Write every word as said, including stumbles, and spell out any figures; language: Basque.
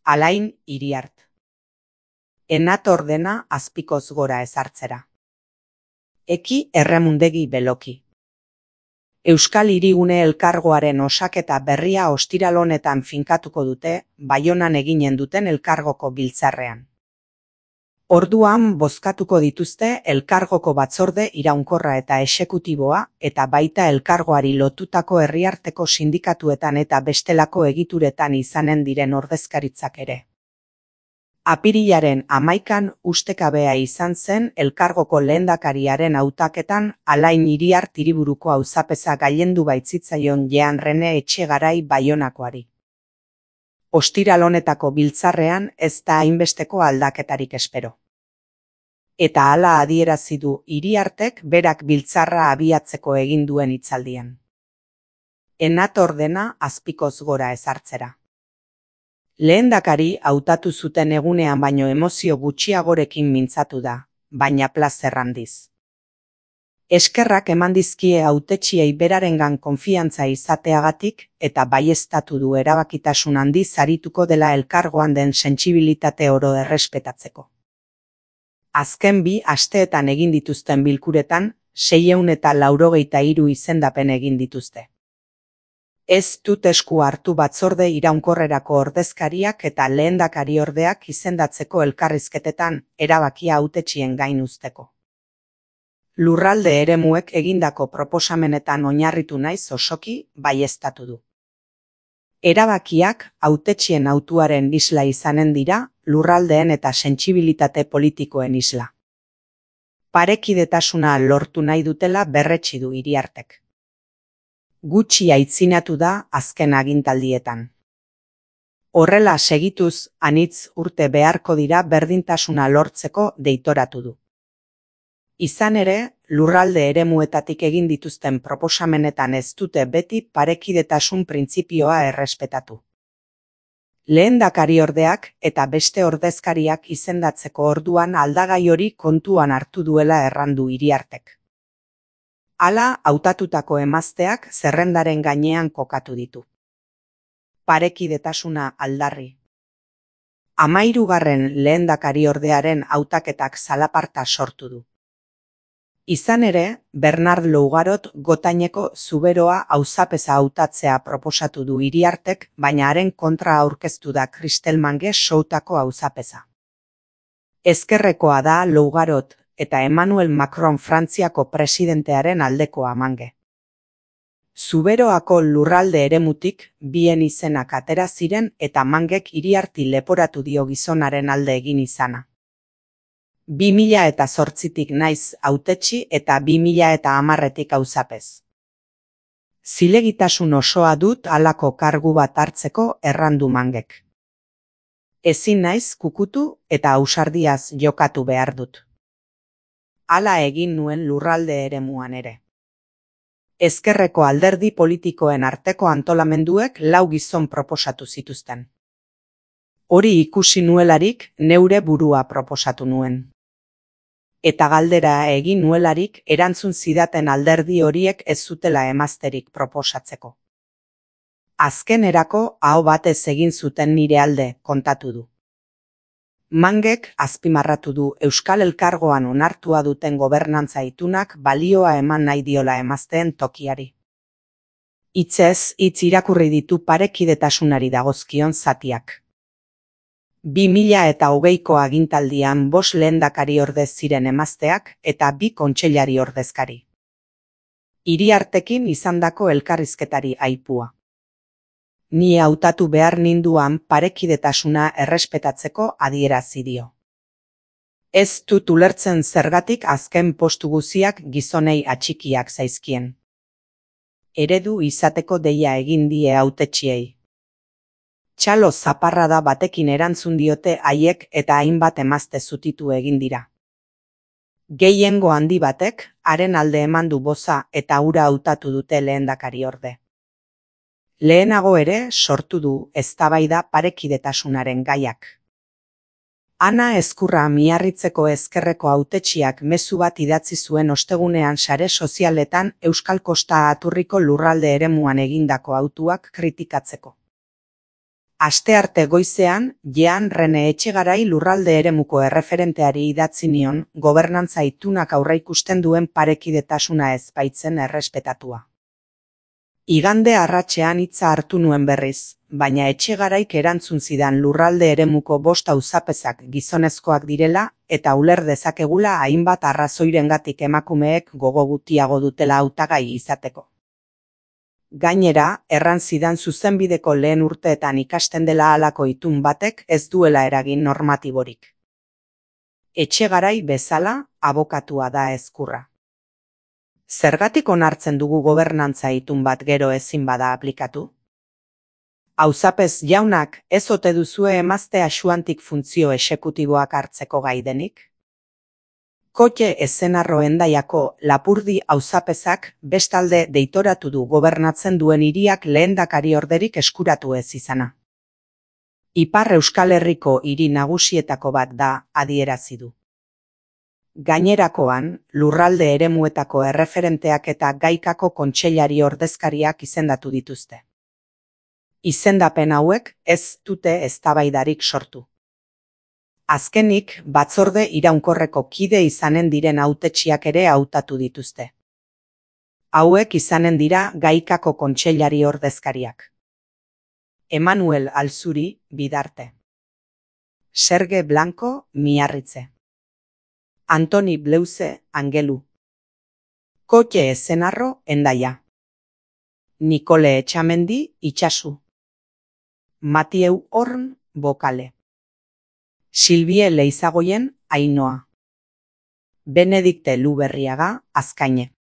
Alain Iriart. Enator dena azpikoz gora ezartzera. Eki Erremundegi Beloki. Euskal Hirigune Elkargoaren osaketa berria ostiral honetan finkatuko dute, Baionan eginen duten elkargoko biltzarrean. Orduan bozkatuko dituzte elkargoko batzorde iraunkorra eta exekutiboa eta baita elkargoari lotutako herriarteko sindikatuetan eta bestelako egituretan izanen diren ordezkaritzak ere. Apirilaren hamaikan ustekabea izan zen elkargoko lehendakariaren hautaketan Alain Iriart hiriburuko auzapeza gailendu baitzitzaion Jean Rene Etxegarai Baionakoari. Ostiral honetako biltzarrean ez da hainbesteko aldaketarik espero. Eta hala adierazi du Iriartek berak biltzarra abiatzeko egin duen hitzaldian. Enator dena azpikoz gora ezartzera. Lehendakari hautatu zuten egunean baino emozio gutxiagorekin mintzatu da, baina plazer handiz. Eskerrak eman dizkie hautetsiei berarengan konfiantza izateagatik eta baieztatu du erabakitasun handiz arituko dela elkargoan den sentsibilitate oro errespetatzeko. Azken bi asteetan egin dituzten bilkuretan, seiehun eta laurogeita hiru izendapen egin dituzte. Ez dut esku hartu batzorde iraunkorrerako ordezkariak eta lehendakariordeak izendatzeko elkarrizketetan, erabakia hautetsien gain uzteko. Lurralde eremuek egindako proposamenetan oinarritu naiz osoki, baieztatu du. Erabakiak hautetsien hautuaren isla izanen dira, lurraldeen eta sentsibilitate politikoen isla. Parekidetasuna lortu nahi dutela berretsi du Iriartek. Gutxi aitzinatu da azken agintaldietan. Horrela segituz, anitz urte beharko dira berdintasuna lortzeko deitoratu du. Izan ere, lurralde eremuetatik egin dituzten proposamenetan ez dute beti parekidetasun printzipioa errespetatu. Lehendakariordeak eta beste ordezkariak izendatzeko orduan aldagai hori kontuan hartu duela errandu Iriartek. Hala, hautatutako emazteak zerrendaren gainean kokatu ditu. Parekidetasuna aldarri. Hamahirugarren lehendakariordearen hautaketak zalaparta sortu du. Izan ere, Bernard Lougarot Gotaineko Zuberoa auzapeza hautatzea proposatu du Iriartek, baina haren kontra aurkeztu da Kristel Mange Soutako auzapeza. Ezkerrekoa da Lougarot eta Emmanuel Macron Frantziako presidentearen aldekoa Mange. Zuberoako lurralde eremutik bien izenak atera ziren eta Mangek Iriarti leporatu dio gizonaren alde egin izana. bi mila eta zortzitik naiz hautetsi eta bi mila eta hamarretik auzapez. Zilegitasun osoa dut halako kargu bat hartzeko errandu Mangek. Ezin naiz kukutu eta ausardiaz jokatu behar dut. Hala egin nuen lurralde eremuan ere. Ezkerreko alderdi politikoen arteko antolamenduek lau gizon proposatu zituzten. Hori ikusi nuelarik neure burua proposatu nuen. Eta galdera egin nuelarik erantzun zidaten alderdi horiek ez zutela emazterik proposatzeko. Azkenerako aho batez egin zuten nire alde, kontatu du. Mangek azpimarratu du Euskal Elkargoan onartua duten gobernantza itunak balioa eman nahi diola emazteen tokiari. Hitzez hitz irakurri ditu parekidetasunari dagozkion zatiak. bi mila eta hogeiko agintaldian bost lehendakari ordez ziren emazteak eta bi kontseilari ordezkari. Iriartekin izandako elkarrizketari aipua. Ni hautatu behar ninduan parekidetasuna errespetatzeko adierazi dio. Ez dut ulertzen zergatik azken postu guziak gizonei atxikiak zaizkien. Eredu izateko deia egin die hautetsiei. Txalo zaparrada batekin erantzun diote haiek eta hainbat emazte zutitu egin dira. Gehiengo handi batek haren alde eman du boza eta hura hautatu dute lehendakariorde. Lehenago ere sortu du eztabaida parekidetasunaren gaiak. Ana Ezkurra Miarritzeko ezkerreko hautetsiak mezu bat idatzi zuen ostegunean sare sozialetan Euskal Kosta Aturriko lurralde eremuan egindako hautuak kritikatzeko. Astearte goizean, Jean Rene Etxegarai lurralde eremuko erreferenteari idatzi nion gobernantza itunak aurreikusten duen parekidetasuna ez baitzen errespetatua. Igande arratsean hitza hartu nuen berriz, baina Etxegaraik erantzun zidan lurralde eremuko bost auzapezak gizonezkoak direla eta uler dezakegula hainbat arrazoirengatik emakumeek gogo gutiago dutela hautagai izateko. Gainera, erran zidan zuzenbideko lehen urteetan ikasten dela halako itun batek ez duela eragin normatiborik. Etxegarai bezala, abokatua da ezkurra. Zergatik onartzen dugu gobernantza itun bat gero ezin bada aplikatu? Auzapez jaunak ez ote duzue emazte axuantik funtzio exekutiboak hartzeko gai denik? Kotxe Ezenarro Hendaiako Lapurdi auzapezak bestalde deitoratu du gobernatzen duen hiriak lehendakariorderik eskuratu ez izana. Ipar Euskal Herriko hiri nagusietako bat da, adierazi du. Gainerakoan, lurralde eremuetako erreferenteak eta gaikako kontseilari ordezkariak izendatu dituzte. Izendapen hauek ez dute eztabaidarik sortu. Azkenik, batzorde iraunkorreko kide izanen diren hautetsiak ere hautatu dituzte. Hauek izanen dira gaikako kontseilari ordezkariak. Emanuel Alzuri, Bidarte. Serge Blanco, Miarritze. Antoni Bleuze, Angelu. Kotxe Ezenarro, Hendaia. Nikole Etxamendi, Itxasu. Matieu Horn, Bokale. Silvie Leizagoien, Ainoa. Benedikte Luberriaga, Azkaine.